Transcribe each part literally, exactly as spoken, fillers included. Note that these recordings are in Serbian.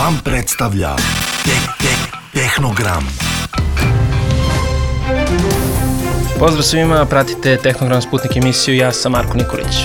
Vam predstavlja Tek Tek Tehnogram. Pozdrav svima, pratite Tehnogram Sputnik emisiju, ja sam Marko Nikolić.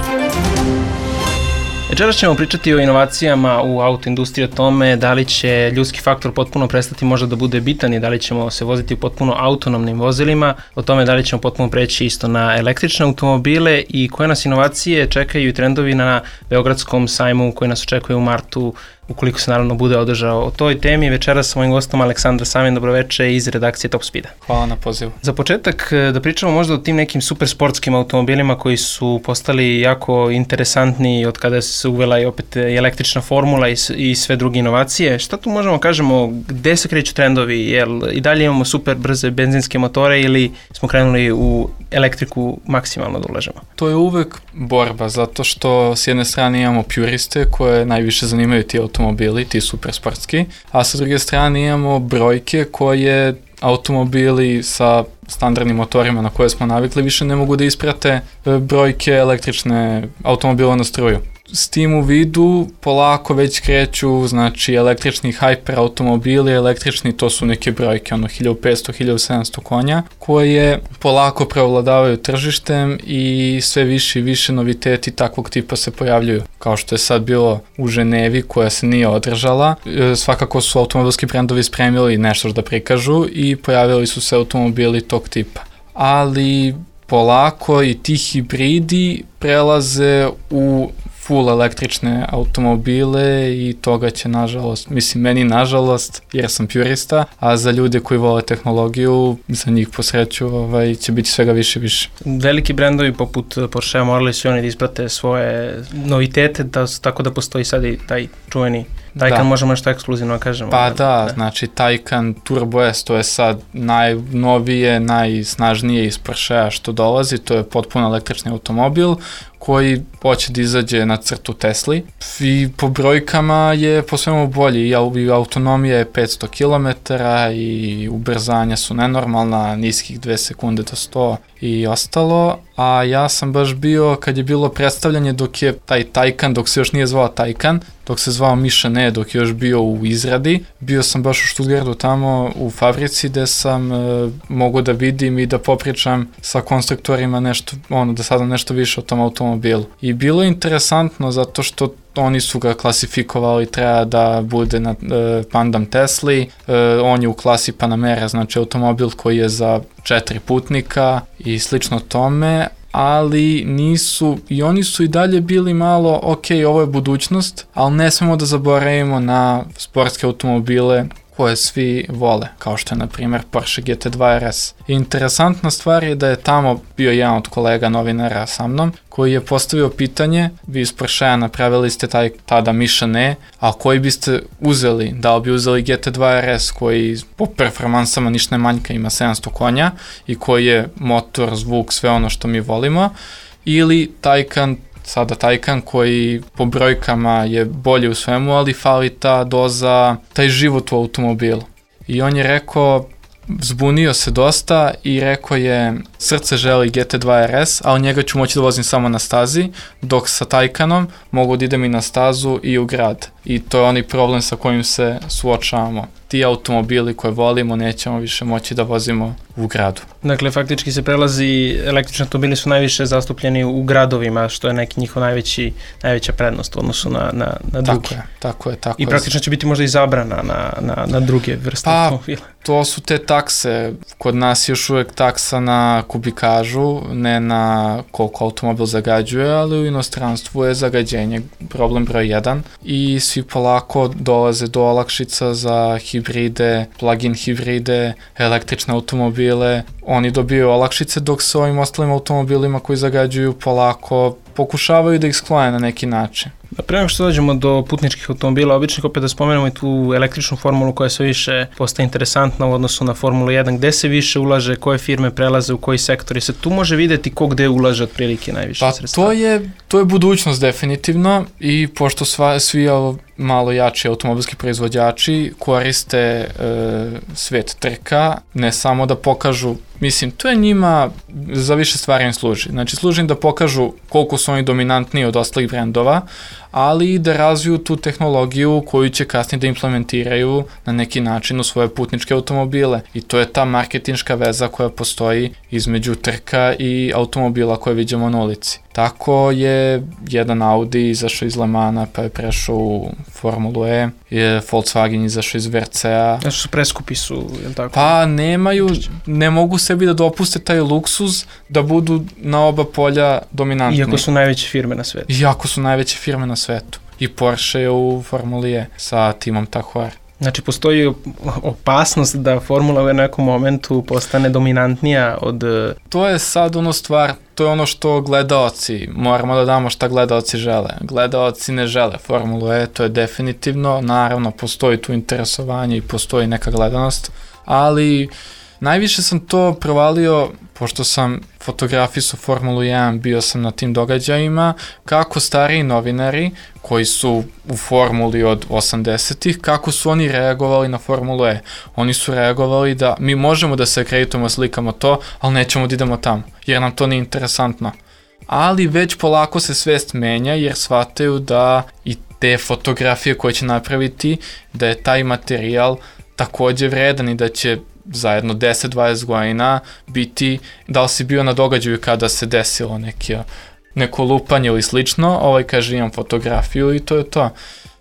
Večeras ćemo pričati o inovacijama u autoindustriji, o tome da li će ljudski faktor potpuno prestati možda da bude bitan i da li ćemo se voziti potpuno autonomnim vozilima, o tome da li ćemo potpuno preći isto na električne automobile i koje nas inovacije čekaju i trendovi na Beogradskom sajmu koji nas očekuje u martu, ukoliko se naravno bude održao. O toj temi večeras sa mojim gostom Aleksandra Savin, dobroveče iz redakcije Top Speeda. Hvala na pozivu. Za početak da pričamo možda o tim nekim super sportskim automobilima koji su postali jako interesantni od kada se uvela i opet električna formula i, i sve druge inovacije. Šta tu možemo kažemo, gde se kreću trendovi? Jel i dalje imamo super brze benzinske motore ili smo krenuli u elektriku maksimalno da ulažemo? To je uvek borba, zato što s jedne strane imamo puriste koje najviše zanimaju ti automobili, ti super sportski, a sa druge strane imamo brojke koje automobili sa standardnim motorima na koje smo navikli više ne mogu da isprate brojke električne automobila na struju. S tim u vidu polako već kreću, znači električni hyper automobili, električni to su neke brojke, ono hiljadu petsto do hiljadu sedamsto konja, koje polako preovladavaju tržištem i sve više i više noviteti takvog tipa se pojavljuju. Kao što je sad bilo u Ženevi koja se nije održala, svakako su automobilski brendovi spremili nešto da prikažu i pojavili su se automobili tog tipa. Ali polako i ti hibridi prelaze u full električne automobile i toga će nažalost, mislim meni nažalost jer sam purista, a za ljude koji vole tehnologiju, za njih po sreću ovaj, će biti svega više i više. Veliki brendovi poput Porschea morali su oni da isprate svoje novitete, da, tako da postoji sad i taj čuveni Taycan, da. Možemo nešto ekskluzivno kažemo. Pa da, da, znači Taycan Turbo S, to je sad najnovije, najsnažnije iz Porschea što dolazi, to je potpuno električni automobil koji hoće da izađe na crtu Tesli i po brojkama je po svemu bolji, i autonomija je petsto kilometara i ubrzanja su nenormalna, niskih dve sekunde do sto i ostalo, a ja sam baš bio kad je bilo predstavljanje dok je taj Taycan, dok se još nije zvao Taycan, dok se zvao Mišane, dok je još bio u izradi, bio sam baš u Stuttgartu tamo u fabrici gde sam e, mogu da vidim i da popričam sa konstruktorima nešto, ono, da sadam nešto više o tom automobilu. I bilo je interesantno zato što oni su ga klasifikovali, treba da bude na e, Pandam Tesli, e, on je u klasi Panamera, znači automobil koji je za četiri putnika i slično tome, ali nisu, i oni su i dalje bili malo, ok, ovo je budućnost, ali ne smemo da zaboravimo na sportske automobile koje svi vole, kao što je na primjer Porsche G T dva R S. Interesantna stvar je da je tamo bio jedan od kolega novinara sa mnom, koji je postavio pitanje, vi iz Porschea napravili ste taj tada Mišane, a koji biste uzeli, da li bi uzeli G T dva R S koji po performansama ništa ne manjka, ima sedamsto konja i koji je motor, zvuk, sve ono što mi volimo, ili Taycan, sada Taycan koji po brojkama je bolji u svemu, ali fali ta doza, taj život u automobilu. I on je rekao, zbunio se dosta i rekao je, srce želi G T dva R S, ali njega ću moći da vozim samo na stazi, dok sa Taycanom mogu da idem i na stazu i u grad. I to je onaj problem sa kojim se suočavamo. Ti automobili koje volimo nećemo više moći da vozimo u gradu. Dakle, faktički se prelazi, električni automobili su najviše zastupljeni u gradovima, što je neki njihov najveći, najveća prednost u odnosu na, na, na druge. Tako je, tako je. Tako I praktično će biti možda i zabrana na, na, na druge vrste pa, automobila. To su te takse. Kod nas još uvek taksa na kubikažu, ne na koliko automobil zagađuje, ali u inostranstvu je zagađenje problem broj jedan i svi polako dolaze do olakšica za hibride, plug-in hibride, električne automobile. Oni dobiju olakšice dok se ovim ostalim automobilima koji zagađuju polako pokušavaju da ih sklone na neki način. Pre nego što dođemo do putničkih automobila, običnih, opet da spomenemo i tu električnu formulu koja sve više postaje interesantna u odnosu na Formulu jedan, gde se više ulaže, koje firme prelaze u koji sektor i se tu može videti ko gde ulaže otprilike najviše pa, sredstava. To je, to je budućnost definitivno i pošto sva, svi malo jači automobilski proizvođači koriste e, svet trka, ne samo da pokažu, mislim, to je njima, za više stvari im služi. Znači, služi im da pokažu koliko su oni dominantniji od ostalih brendova, ali i da razviju tu tehnologiju koju će kasnije da implementiraju na neki način u svoje putničke automobile. I to je ta marketinška veza koja postoji između trka i automobila koje vidimo na ulici. Tako je jedan Audi izašao iz Le Mana pa je prešao u Formulu E, je Volkswagen izašao iz V R C-a. Znači su preskupi su, je li tako? Pa nemaju, ne mogu sebi da dopuste taj luksuz da budu na oba polja dominantni. Iako su najveće firme na svetu. Iako su najveće firme na svetu. I Porsche je u Formuli E sa timom Tahor. Znači, postoji opasnost da Formula u nekom momentu postane dominantnija od... To je sad ono stvar, to je ono što gledaoci, moramo da damo šta gledaoci žele. Gledaoci ne žele Formulu E, to je definitivno, naravno postoji tu interesovanje i postoji neka gledanost, ali najviše sam to provalio, pošto sam fotografisao Formulu jedan, bio sam na tim događajima, kako stariji novinari koji su u Formuli od osamdesetih, kako su oni reagovali na Formulu E. Oni su reagovali da mi možemo da se akreditujemo, slikamo to, ali nećemo da idemo tamo, jer nam to nije interesantno. Ali već polako se svest menja, jer shvataju da i te fotografije koje će napraviti, da je taj materijal takođe vredan i da će zajedno deset do dvadeset godina biti, da li si bio na događaju kada se desilo neki, neko lupanje ili slično, ovaj kaže imam fotografiju i to je to.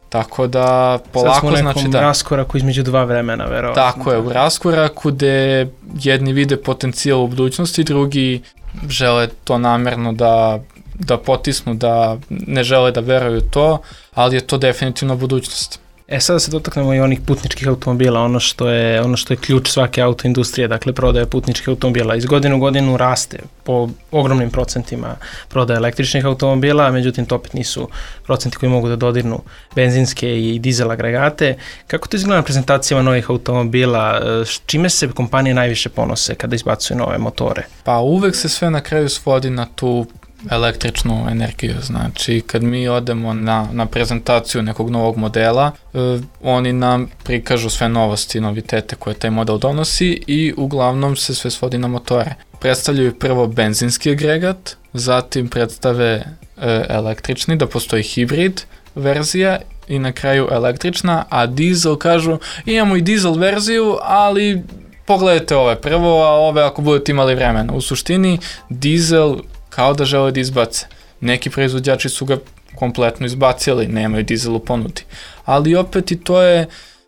Tako da polako znači da... Sad smo u nekom raskoraku između dva vremena, verovatno. Tako je, u raskoraku gde jedni vide potencijal u budućnosti, drugi žele to namerno da, da potisnu, da ne žele da veruju to, ali je to definitivno budućnost. E sad da se dotaknemo i onih putničkih automobila, ono što je, ono što je ključ svake autoindustrije, dakle prodaja putničkih automobila. Iz godine u godinu raste po ogromnim procentima prodaja električnih automobila, međutim to opet nisu procenti koji mogu da dodirnu benzinske i dizel agregate. Kako to izgleda na prezentacijama novih automobila? Čime se kompanije najviše ponose kada izbacuju nove motore? Pa uvek se sve na kraju svodi na tu električnu energiju, znači kad mi odemo na, na prezentaciju nekog novog modela, eh, oni nam prikažu sve novosti i novitete koje taj model donosi i uglavnom se sve svodi na motore. Predstavljaju prvo benzinski agregat, zatim predstave eh, električni, da postoji hibrid verzija i na kraju električna, a dizel kažu imamo i dizel verziju, ali pogledajte ove prvo, a ove ako budete imali vremena. U suštini dizel kao da žele da izbace. Neki proizvođači su ga kompletno izbacili, nemaju dizel u ponudi. Ali opet i to je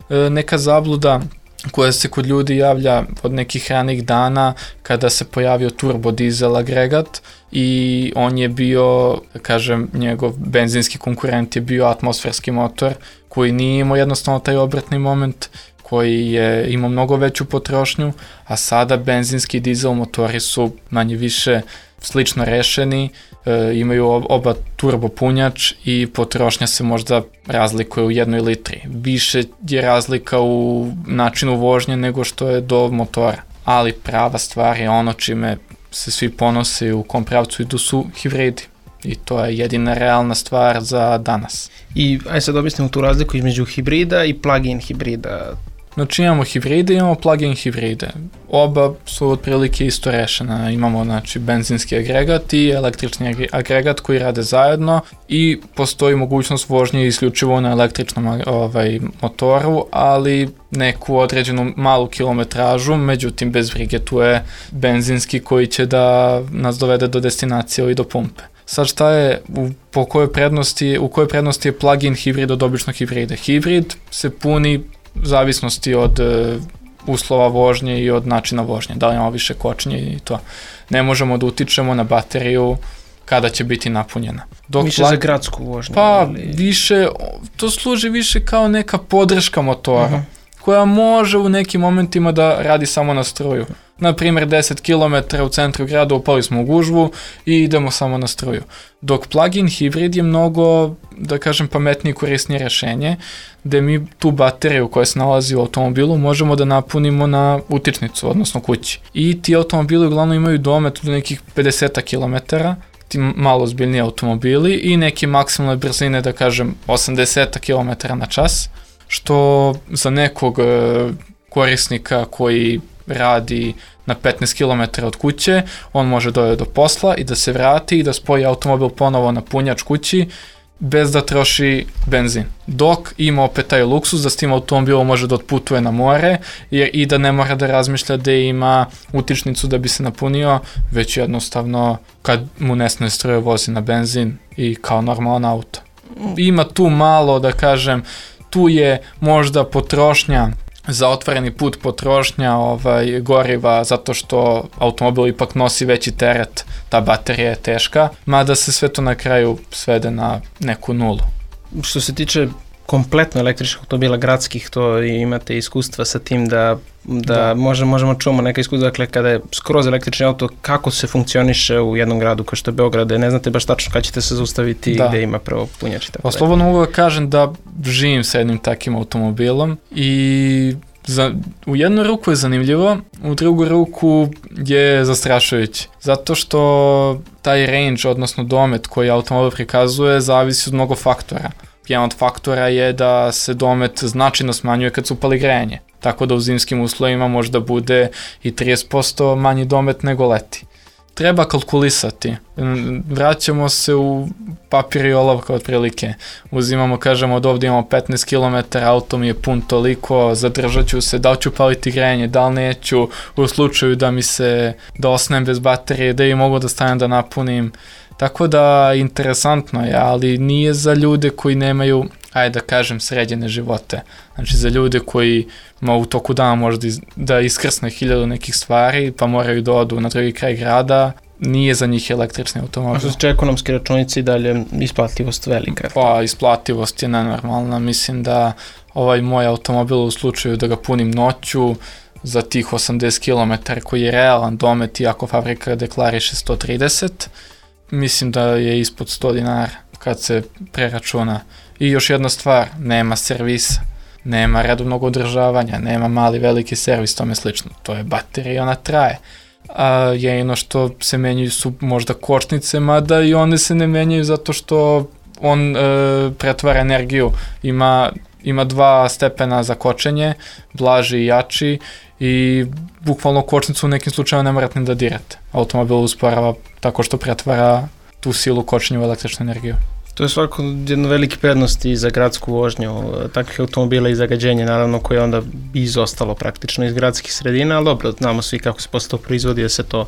e, neka zabluda koja se kod ljudi javlja od nekih ranih dana kada se pojavio turbo dizel agregat i on je bio, kažem, njegov benzinski konkurent je bio atmosferski motor koji nije imao jednostavno taj obratni moment, koji je imao mnogo veću potrošnju, a sada benzinski dizel motori su manje više slično rešeni, e, imaju oba turbo punjač i potrošnja se možda razlikuje u jednoj litri. Više je razlika u načinu vožnje nego što je do motora. Ali prava stvar je ono čime se svi ponose u kom pravcu idu su hibridi. I to je jedina realna stvar za danas. I aj sad objasnimo tu razliku između hibrida i plug-in hibrida. Znači imamo hibride i imamo plug-in hibride. Oba su otprilike isto rešena. Imamo znači benzinski agregat i električni agregat koji rade zajedno i postoji mogućnost vožnje isključivo na električnom ovaj, motoru, ali neku određenu malu kilometražu, međutim bez brige tu je benzinski koji će da nas dovede do destinacije ili do pumpe. Sad šta je, u, po kojoj prednosti, u kojoj prednosti je plug-in hibrid od običnog hibrida? Hibrid se puni u zavisnosti od uh, uslova vožnje i od načina vožnje, da li imamo više kočnje i to. Ne možemo da utičemo na bateriju kada će biti napunjena. Dok više plug... za gradsku vožnju? Pa ili... više, to služi više kao neka podrška motora, uh-huh. koja može u nekim momentima da radi samo na struju. Na primjer deset kilometara u centru grada upali smo u gužvu i idemo samo na struju. Dok plug-in hibrid je mnogo, da kažem, pametnije i korisnije rešenje, gde mi tu bateriju koja se nalazi u automobilu možemo da napunimo na utičnicu, odnosno kući. I ti automobili uglavnom imaju domet do nekih pedeset kilometara, ti malo ozbiljniji automobili i neke maksimalne brzine, da kažem, osamdeset kilometara na čas, što za nekog korisnika koji radi na petnaest kilometara od kuće, on može dojeti do posla i da se vrati i da spoji automobil ponovo na punjač kući bez da troši benzin. Dok ima opet taj luksuz da s tim automobilom može da otputuje na more jer i da ne mora da razmišlja da ima utičnicu da bi se napunio, već jednostavno kad mu nesne struje vozi na benzin i kao normalan auto. Ima tu malo, da kažem, tu je možda potrošnja za otvoreni put potrošnja ovaj, goriva zato što automobil ipak nosi veći teret, ta baterija je teška, mada se sve to na kraju svede na neku nulu. Što se tiče kompletno električnih automobila gradskih, to imate iskustva sa tim da, da, da. Možemo, možemo čuvamo neka iskustva, dakle kada je skroz električni auto, kako se funkcioniše u jednom gradu kao što je Beograd, ne znate baš tačno kada ćete se zaustaviti da. Gde ima prvo punjač i tako. Pa slobodno mogu da kažem da živim sa jednim takim automobilom i za, u jednu ruku je zanimljivo, u drugu ruku je zastrašujući. Zato što taj range, odnosno domet koji automobil prikazuje, zavisi od mnogo faktora. Jedan od faktora je da se domet značajno smanjuje kad se upali grejanje. Tako da u zimskim uslovima možda bude i trideset posto manji domet nego leti. Treba kalkulisati. Vraćamo se u papir i olovka otprilike. Uzimamo, kažemo, od ovdje imamo petnaest kilometara, auto mi je pun toliko, zadržat ću se, da li ću paliti grejanje, da li neću, u slučaju da mi se, da osnem bez baterije, da i mogu da stanem da napunim. Tako da, interesantno je, ali nije za ljude koji nemaju, ajde da kažem, sređene živote. Znači, za ljude koji ma u toku dana možda iz, da iskrsne hiljadu nekih stvari, pa moraju da odu na drugi kraj grada, nije za njih električni automobil. A što se tiče ekonomske računice i dalje isplativost velika? Pa, isplativost je nenormalna. Mislim da ovaj moj automobil u slučaju da ga punim noću, za tih osamdeset kilometara koji je realan domet, iako fabrika deklariše sto trideset, mislim da je ispod sto dinara kad se preračuna. I još jedna stvar, nema servisa, nema redovnog održavanja, nema mali veliki servis, tome slično. To je baterija i ona traje. A jedino što se menjaju su možda kočnice, mada i one se ne menjaju zato što on e, pretvara energiju. Ima, ima dva stepena za kočenje, blaži i jači, i bukvalno kočnicu u nekim slučajima ne morate ni da dirate. Automobil usporava tako što pretvara tu silu kočenja u električnu energiju. To je svako jedno velike prednosti za gradsku vožnju takvih automobila i zagađenje, naravno, koje onda bi izostalo praktično iz gradskih sredina, ali dobro, znamo svi kako se posle to proizvodi, da se to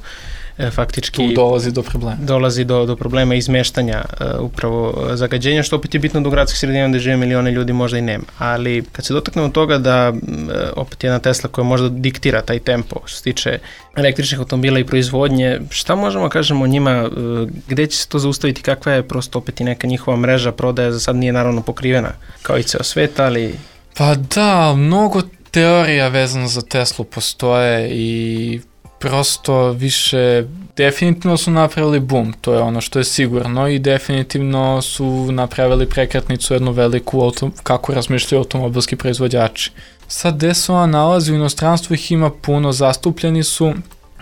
e, faktički... Tu dolazi do problema. Dolazi do, do problema izmeštanja e, upravo zagađenja, što opet je bitno da u gradskih sredina gde žive milione ljudi možda i nema. Ali kad se dotaknemo toga da e, opet jedna Tesla koja možda diktira taj tempo što se tiče električnih automobila i proizvodnje, šta možemo kažemo o njima, e, gde će se to zaustaviti, kakva je prosto opet i neka njihova mreža prodaje, za sad nije naravno pokrivena kao i ceo svet, ali... Pa da, mnogo teorija vezano za Teslu postoje i prosto više, definitivno su napravili boom, to je ono što je sigurno, i definitivno su napravili prekretnicu jednu veliku auto, kako razmišljaju automobilski proizvođači. Sad gde se ona nalazi, u inostranstvu ih ima puno, zastupljeni su,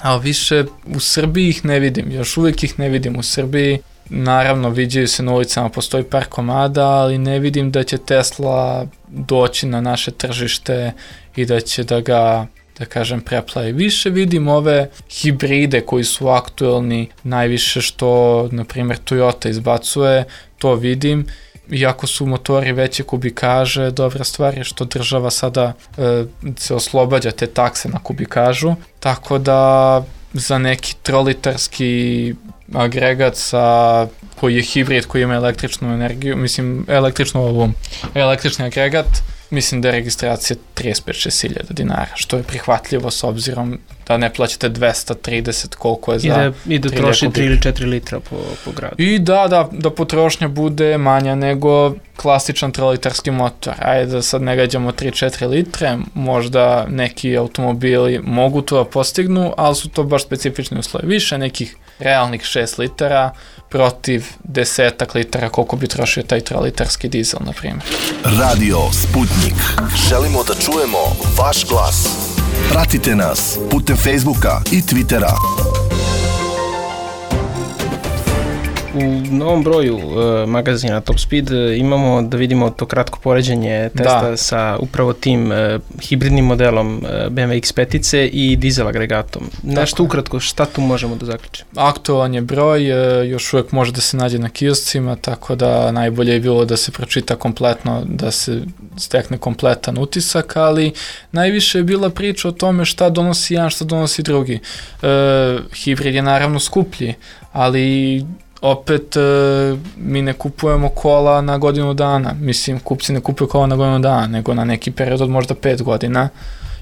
ali više u Srbiji ih ne vidim, još uvijek ih ne vidim u Srbiji. Naravno, viđaju se na ulicama, postoji par komada, ali ne vidim da će Tesla doći na naše tržište i da će da ga, da kažem, preplavi. Više vidim ove hibride koji su aktuelni, najviše što, na primjer, Toyota izbacuje, to vidim. Iako su motori veće kubikaže, dobra stvar je što država sada e, se oslobađa te takse na kubikažu, tako da za neki trolitarski agregat sa, koji je hibrid, koji ima električnu energiju, mislim, električnu ovu, električni agregat, mislim da je registracija trideset pet do šezdeset hiljada dinara, što je prihvatljivo s obzirom da ne plaćate dvesta trideset koliko je za... I da, i da troši tri ili četiri litra po, po gradu. I da, da, da potrošnja bude manja nego klasičan trolitarski motor. Ajde da sad ne gađamo tri do četiri litre, možda neki automobili mogu to da postignu, ali su to baš specifični uslovi. Više nekih realnih šest litara protiv desetak litara koliko bi trošio taj trolitarski dizel, na primjer. Radio Sputnik. Želimo da čujemo vaš glas. Pratite nas putem Facebooka i Twittera. U novom broju uh, magazina Top Speed uh, imamo da vidimo to kratko poređenje testa da. sa upravo tim uh, hibridnim modelom uh, B M W X pet i dizel agregatom. Nešto ukratko, šta tu možemo da zaključimo? Aktualan je broj, uh, još uvek može da se nađe na kioscima, tako da najbolje je bilo da se pročita kompletno, da se stekne kompletan utisak, ali najviše je bila priča o tome šta donosi jedan, šta donosi drugi. Uh, hibrid je naravno skuplji, ali opet e, mi ne kupujemo kola na godinu dana. Mislim, kupci ne kupuju kola na godinu dana, nego na neki period od možda pet godina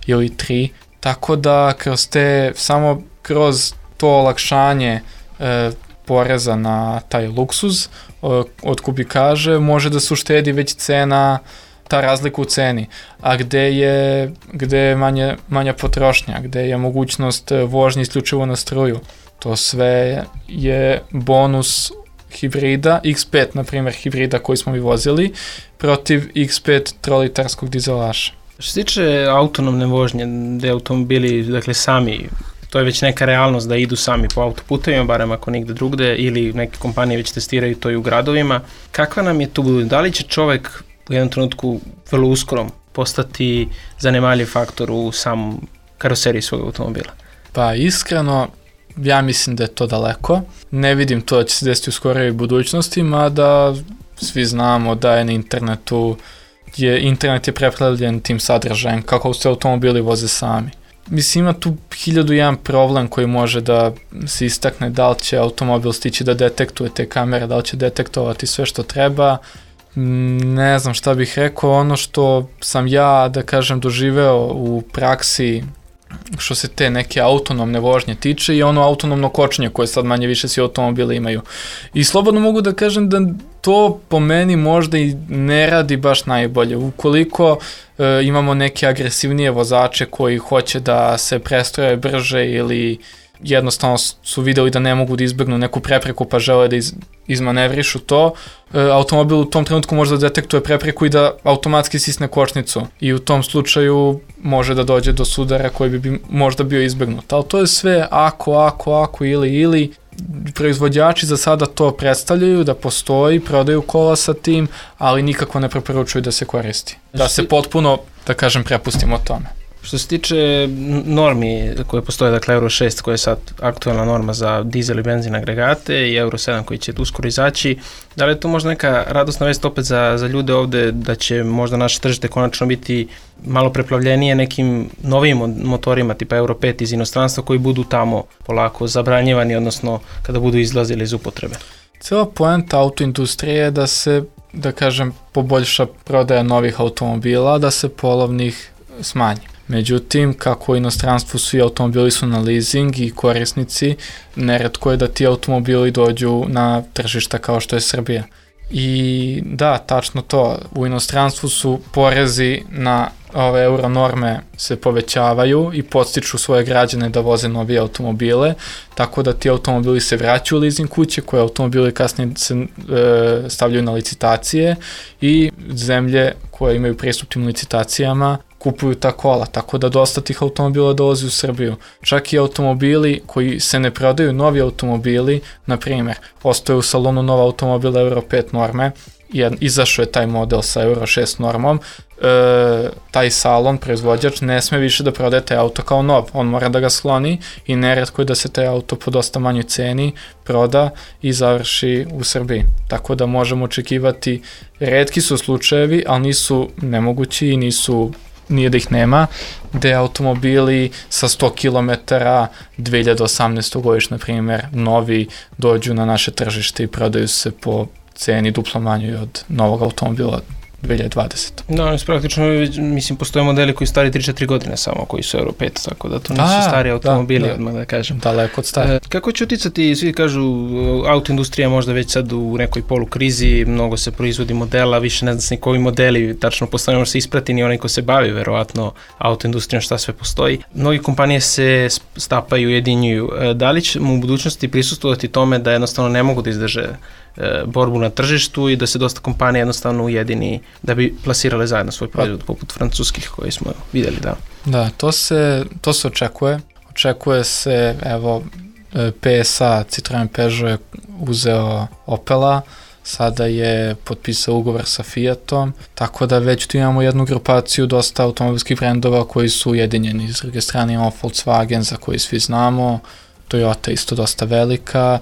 ili tri. Tako da kroz te, samo kroz to olakšanje e, poreza na taj luksuz o, od kubikaže može da se uštedi već cena, ta razlika u ceni, a gde je, gde je manje, manja potrošnja, gde je mogućnost vožnje isključivo na struju. To sve je bonus hibrida, X pet, na primjer, hibrida koji smo mi vozili, protiv X pet trolitarskog dizelaša. Što se tiče autonomne vožnje, gde automobili, dakle, sami, to je već neka realnost da idu sami po autoputevima, barem ako nigde drugde, ili neke kompanije već testiraju to i u gradovima. Kakva nam je tu budućnost? Da li će čovek u jednom trenutku vrlo uskoro postati zanemarljiv faktor u samom karoseriji svog automobila? Pa iskreno, ja mislim da je to daleko. Ne vidim to da će se desiti u skorijoj budućnosti, mada svi znamo da je na internetu, je, internet je preplavljen tim sadržajem, kako se automobili voze sami. Mislim, ima tu hiljadu jedan problem koji može da se istakne, da li će automobil stići da detektuje te kamere, da li će detektovati sve što treba. Ne znam šta bih rekao, ono što sam ja, da kažem, doživeo u praksi što se te neke autonomne vožnje tiče i ono autonomno kočenje koje sad manje više svi automobili imaju. I slobodno mogu da kažem da to po meni možda i ne radi baš najbolje. Ukoliko e, imamo neke agresivnije vozače koji hoće da se prestroje brže ili jednostavno su videli da ne mogu da izbegnu neku prepreku pa žele da iz, izmanevrišu to, e, automobil u tom trenutku može da detektuje prepreku i da automatski sisne kočnicu i u tom slučaju može da dođe do sudara koji bi, bi možda bio izbegnut. Ali to je sve ako, ako, ako ili ili. Proizvođači za sada to predstavljaju da postoji, prodaju kola sa tim, ali nikako ne preporučuju da se koristi. Da se potpuno, da kažem, prepustimo tome. Što se tiče normi koje postoje, dakle Euro šest koja je sad aktualna norma za dizel i benzin agregate i Euro sedam koji će uskoro izaći, da li je to možda neka radosna vest opet za, za ljude ovde da će možda naše tržište konačno biti malo preplavljenije nekim novim motorima tipa Euro pet iz inostranstva koji budu tamo polako zabranjivani, odnosno kada budu izlazili iz upotrebe? Cijela poenta autoindustrije je da se, da kažem, poboljša prodaja novih automobila, da se polovnih smanji. Međutim, kako u inostranstvu svi automobili su na leasing i korisnici, neretko je da ti automobili dođu na tržišta kao što je Srbija. I da, tačno to, u inostranstvu su porezi na ove euro norme se povećavaju i podstiču svoje građane da voze novije automobile, tako da ti automobili se vraćaju u leasing kuće, koje automobili kasnije se e, stavljaju na licitacije i zemlje koje imaju pristup tim licitacijama kupuju ta kola, tako da dosta tih automobila dolazi u Srbiju. Čak i automobili koji se ne prodaju, novi automobili, na primjer, postoje u salonu nova automobila Euro pet norme, izašao je taj model sa Euro šest normom, e, taj salon, proizvođač, ne sme više da prodaje taj auto kao nov, on mora da ga skloni i neretko je da se taj auto po dosta manjoj ceni proda i završi u Srbiji. Tako da možemo očekivati, retki su slučajevi, ali nisu nemogući i nisu nije da ih nema, gde automobili sa sto kilometara dve hiljade osamnaeste. godište, na primjer, novi dođu na naše tržište i prodaju se po ceni duplo manjoj od novog automobila dve hiljade dvadesete. Da, praktično, mislim, postoje modeli koji stari tri četiri godine samo, koji su Euro pet, tako da to nisu da, stari automobili, da, da, odmah da kažem. Daleko od stari. E, kako će uticati, svi kažu, autoindustrija možda već sad u nekoj polukrizi, mnogo se proizvodi modela, više ne zna se ni koji modeli, tačno postoje, može se isprati ni onaj ko se bavi, verovatno, autoindustrijom, šta sve postoji. Mnogi kompanije se stapaju, ujedinjuju. E, da li će u budućnosti prisustvovati tome da jednostavno ne mogu da izdrže borbu na tržištu i da se dosta kompanija jednostavno ujedini da bi plasirale zajedno svoj proizvod, poput francuskih koji smo videli, da. Da, to se, to se očekuje. Očekuje se, evo, P S A, Citroen Peugeot je uzeo Opela, sada je potpisao ugovor sa Fiatom, tako da već tu imamo jednu grupaciju dosta automobilskih brendova koji su ujedinjeni. S druge strane imamo Volkswagen za koji svi znamo, Toyota isto dosta velika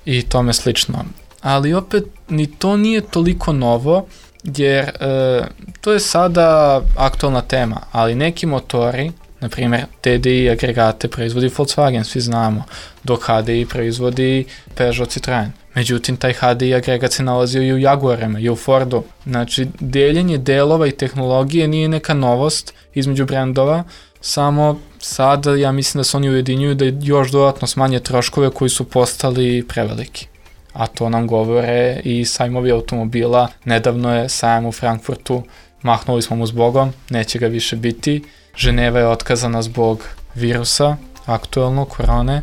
i tome slično. Ali opet ni to nije toliko novo, jer e, to je sada aktualna tema, ali neki motori, na primjer T D I agregate proizvodi Volkswagen, svi znamo, dok H D I proizvodi Peugeot, Citroen. Međutim, taj H D I agregat se nalazio i u Jaguarima i u Fordu. Znači, deljenje delova i tehnologije nije neka novost između brendova, samo sada ja mislim da se oni ujedinjuju da još dodatno smanje troškove koji su postali preveliki. A to nam govore i sajmovi automobila. Nedavno je sajam u Frankfurtu, mahnuli smo mu zbogom, neće ga više biti. Ženeva je otkazana zbog virusa, aktuelno, korone.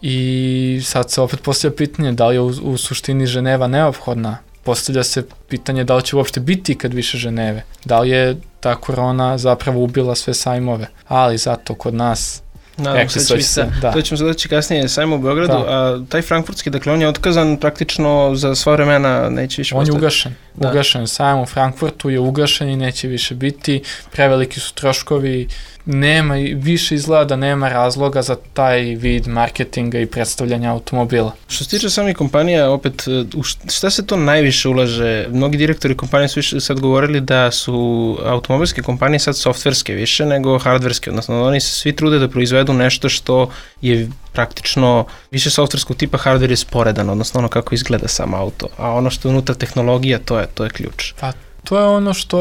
I sad se opet postavlja pitanje da li je u, u suštini Ženeva neophodna. Postavlja se pitanje da li će uopšte biti kad više Ženeve. Da li je ta korona zapravo ubila sve sajmove. Ali zato kod nas... Nadam se da će se, da. To ćemo zadoći kasnije sajmo u Beogradu, da. A taj frankfurtski, dakle on je otkazan praktično za sva vremena, neće više on postati. On je ugašen, da. ugašen, sajam u Frankfurtu je ugašen i neće više biti, preveliki su troškovi, nema, više izgleda da nema razloga za taj vid marketinga i predstavljanja automobila. Što se tiče samih kompanija, opet, u šta se to najviše ulaže? Mnogi direktori kompanije su više sad govorili da su automobilske kompanije sad softverske više nego hardverske, odnosno oni se svi trude da proizvedu nešto što je praktično više softverskog tipa, hardware je sporedan, odnosno ono kako izgleda sam auto, a ono što je unutra tehnologija, to je, to je ključ. Pa to je ono što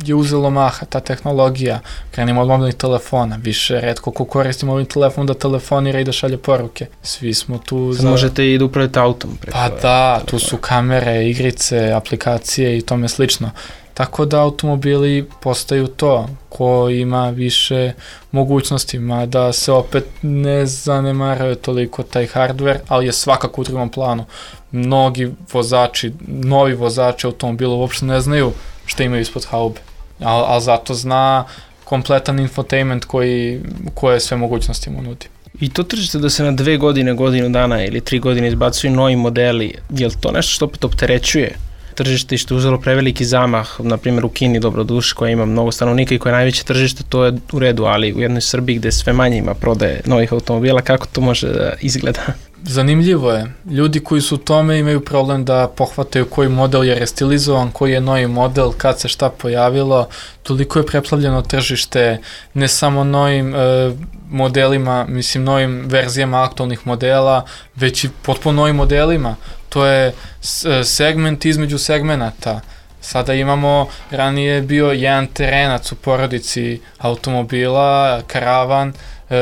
je uzelo maha, ta tehnologija. Krenimo od mobilnih telefona, više retko ko koristi mobilni telefon da telefonira i da šalje poruke. Svi smo tu za... Možete i da upravite autom. Pa da, telefona. Tu su kamere, igrice, aplikacije i tome slično. Tako da automobili postaju to, ko ima više mogućnosti, mada se opet ne zanemaruje toliko taj hardware, ali je svakako u drugom planu. Mnogi vozači, novi vozači automobila uopšte ne znaju šta imaju ispod haube, ali al zato zna kompletan infotainment koji, koje sve mogućnosti mu nudi. I to tržište da se na dve godine, godinu dana ili tri godine izbacuju novi modeli, je li to nešto što opet opterećuje tržište i što je uzelo preveliki zamah, na primjer u Kini, dobroduš, koja ima mnogo stanovnika i koja je najveće tržište, to je u redu, ali u jednoj Srbiji gde sve manje ima prodaje novih automobila, kako to može da izgleda? Zanimljivo je. Ljudi koji su u tome imaju problem da pohvataju koji model je restilizovan, koji je novi model, kad se šta pojavilo. Toliko je preplavljeno tržište, ne samo novim e, modelima, mislim novim verzijama aktualnih modela, već i potpuno novim modelima. To je segment između segmenata. Sada imamo, ranije je bio jedan terenac u porodici automobila, karavan,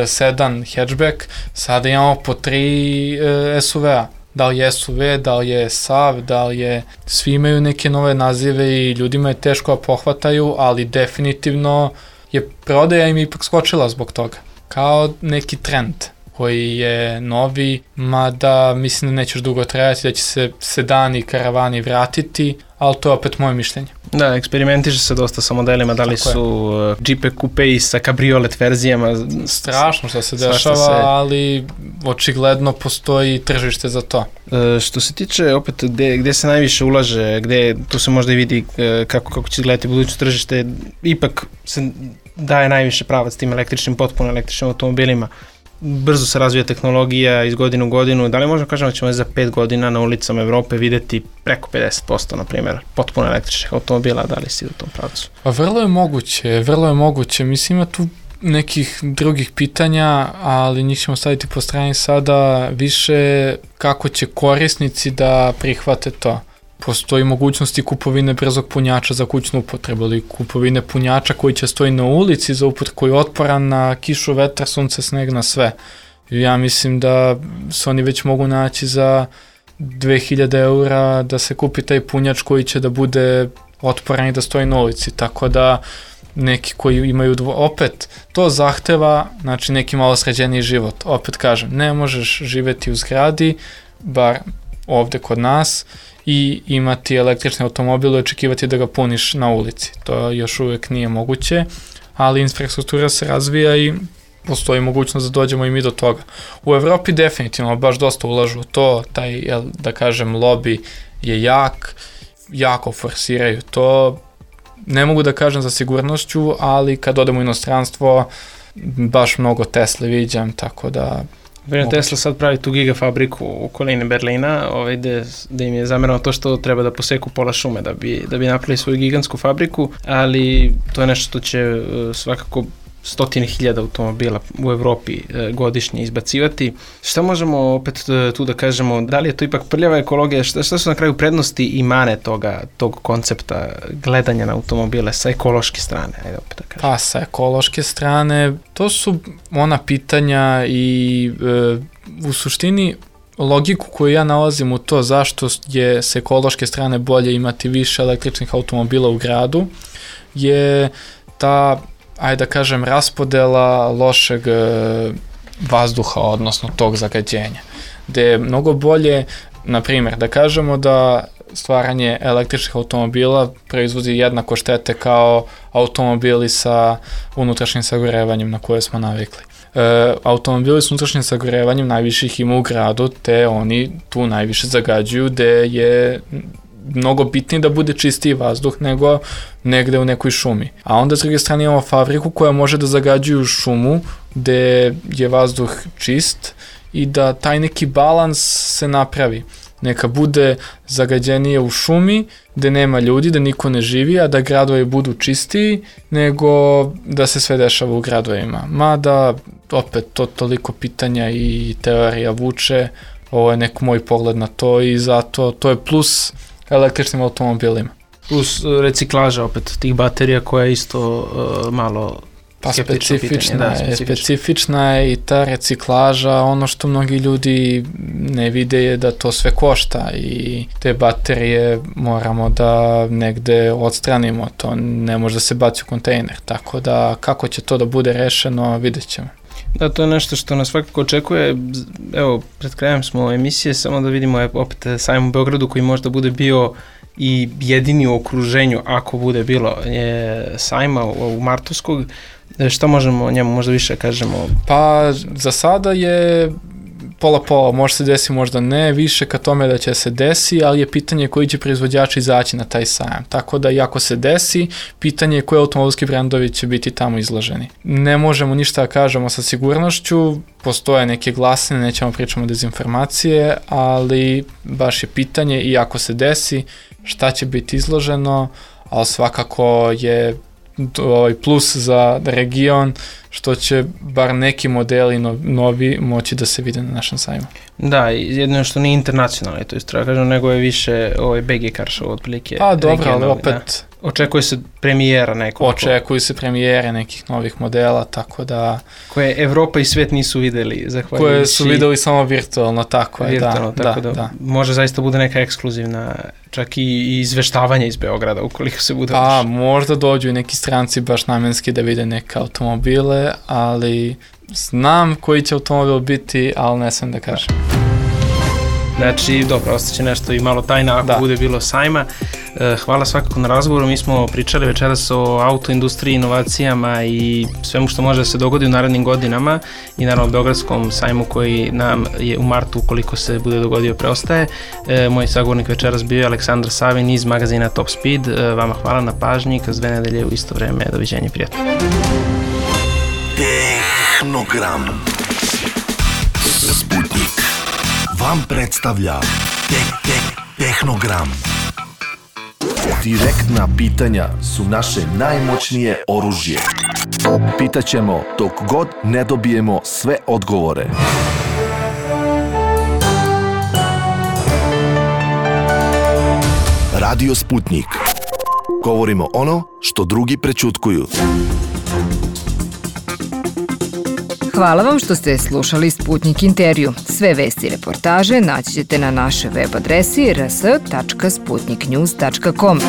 sedan, hatchback, sada imamo po tri S U V-a. Da li je S U V, da li je S A V, da li je... Svi imaju neke nove nazive i ljudima je teško da pohvataju, ali definitivno je prodaja im ipak skočila zbog toga. Kao neki trend koji je novi, mada mislim da neće još dugo trajati, da će se sedani i karavani vratiti, ali to je opet moje mišljenje. Da, eksperimentiše se dosta sa modelima, da li Tako su je. Džipe kupe i sa kabriolet verzijama. Strašno što se dešava, se... ali očigledno postoji tržište za to. E, što se tiče opet gde, gde se najviše ulaže, gde tu se možda i vidi kako, kako će izgledati buduće tržište, ipak se daje najviše pravac tim električnim, potpuno električnim automobilima. Brzo se razvija tehnologija iz godinu u godinu. Da li možemo kažemo da ćemo za pet godina na ulicama Evrope videti preko pedeset posto, na primjer, potpuno električnih automobila, da li si u tom pravcu? Pa vrlo je moguće, vrlo je moguće. Mislim, ima tu nekih drugih pitanja, ali njih ćemo staviti po strani sada više kako će korisnici da prihvate to. Postoji mogućnosti kupovine brzog punjača za kućnu upotrebu ili kupovine punjača koji će stoji na ulici za upotrebu, koji je otporan na kišu, vetar, sunce, sneg, na sve. Ja mislim da se oni već mogu naći za dve hiljade eura da se kupi taj punjač koji će da bude otporan i da stoji na ulici, tako da neki koji imaju dvo... opet, to zahteva znači neki malo sređeniji život. Opet kažem, ne možeš živeti u zgradi, bar ovde kod nas, i imati električni automobil i očekivati da ga puniš na ulici. To još uvek nije moguće, ali infrastruktura se razvija i postoji mogućnost da dođemo i mi do toga. U Evropi definitivno baš dosta ulažu u to, taj, jel, da kažem, lobby je jak, jako forsiraju to. Ne mogu da kažem za sigurnošću, ali kad odemo u inostranstvo, baš mnogo Tesla viđam, tako da... Vjerno, Tesla sad pravi tu gigafabriku u okolini Berlina, ovaj, gde, gde im je zamerano to što treba da poseku pola šume da bi, da bi napravili svoju gigantsku fabriku, ali to je nešto što će uh, svakako stotine hiljada automobila u Evropi e, godišnje izbacivati. Šta možemo opet e, tu da kažemo, da li je to ipak prljava ekologija, šta, šta su na kraju prednosti i mane toga, tog koncepta gledanja na automobile sa ekološke strane? Ajde opet da kažem. Pa sa ekološke strane, to su ona pitanja i e, u suštini logiku koju ja nalazim u to zašto je s ekološke strane bolje imati više električnih automobila u gradu je ta, ajde da kažem, raspodela lošeg e, vazduha, odnosno tog zagađenja. Gde je mnogo bolje, na primjer, da kažemo da stvaranje električnih automobila proizvodi jednako štete kao automobili sa unutrašnjim sagorevanjem na koje smo navikli. E, automobili s unutrašnjim sagorevanjem najviše ih ima u gradu, te oni tu najviše zagađuju, gde je mnogo bitnije da bude čistiji vazduh nego negde u nekoj šumi. A onda s druge strane imamo fabriku koja može da zagađuju šumu gde je vazduh čist i da taj neki balans se napravi. Neka bude zagađenije u šumi gde nema ljudi, da niko ne živi, a da gradovi budu čistiji nego da se sve dešava u gradovima. Mada opet to toliko pitanja i teorija vuče, ovo je nek moj pogled na to i zato to je plus električnim automobilima. Plus reciklaža opet tih baterija koja je isto uh, malo pa skeptično specifična pitanje. Da, je, specifična je i ta reciklaža, ono što mnogi ljudi ne vide je da to sve košta i te baterije moramo da negde odstranimo, to ne može da se baci u kontejner, tako da kako će to da bude rešeno vidjet ćemo. Da, to je nešto što nas svakako očekuje. Evo, pred krajem smo emisije, samo da vidimo opet sajam u Beogradu koji možda bude bio i jedini u okruženju, ako bude bilo, je sajma u, u Martovskog. Šta možemo o njemu možda više kažemo? Pa za sada je pola pola, može se desi, možda ne, više ka tome da će se desi, ali je pitanje koji će proizvođači izaći na taj sajam. Tako da i ako se desi, pitanje je koji automobilski brendovi će biti tamo izloženi. Ne možemo ništa da kažemo sa sigurnošću, postoje neke glasine, nećemo pričamo dezinformacije, ali baš je pitanje i ako se desi, šta će biti izloženo, ali svakako je ovaj plus za region što će bar neki modeli novi moći da se vide na našem sajmu. Da, jedno što nije internacionalno, to je treba kažem, nego je više ovaj B G Car Show otprilike. Pa dobro, ali opet... Da. Očekuje se premijera nekog. Očekuju se premijere nekih novih modela, tako da... Koje Evropa i svet nisu videli, zahvaljujući... Koje su videli samo virtualno, tako je, virtualno, da, tako da, da, da. Može zaista bude neka ekskluzivna, čak i, i izveštavanje iz Beograda, ukoliko se bude... Pa, možda dođu i neki stranci baš namenski da vide neke automobile, ali znam koji će automobil biti, ali ne sam da kažem. Znači, dobro, ostaće nešto i malo tajna ako da. bude bilo sajma. Hvala svakako na razgovoru. Mi smo pričali večeras o autoindustriji, inovacijama i svemu što može da se dogodi u narednim godinama i naravno Beogradskom sajmu koji nam je u martu, ukoliko se bude dogodio, preostaje. Moj sagovornik večeras bio je Aleksandar Savin iz magazina Top Speed. Vama hvala na pažnji, kroz dve nedelje u isto vreme. Doviđenja, prijatno. Tehnogram Sputnik vam predstavlja Tek Tek Tehnogram. Direktna pitanja su naše najmoćnije oružje. Pitaćemo dok god ne dobijemo sve odgovore. Radio Sputnik. Govorimo ono što drugi prećutkuju. Hvala vam što ste slušali Sputnik intervju. Sve vesti i reportaže naći ćete na našoj web adresi r s tačka sputnik news tačka com.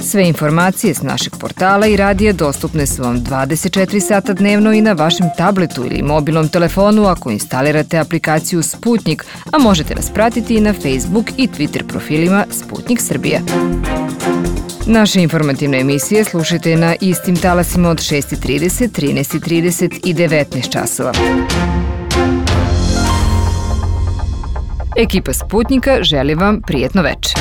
Sve informacije s našeg portala i radija dostupne su vam dvadeset četiri sata dnevno i na vašem tabletu ili mobilnom telefonu ako instalirate aplikaciju Sputnik, a možete nas pratiti i na Facebook i Twitter profilima Sputnik Srbija. Naše informativne emisije slušajte na istim talasima od šest trideset, trinaest trideset i devetnaest časova. Ekipa Sputnika želi vam prijetno večer.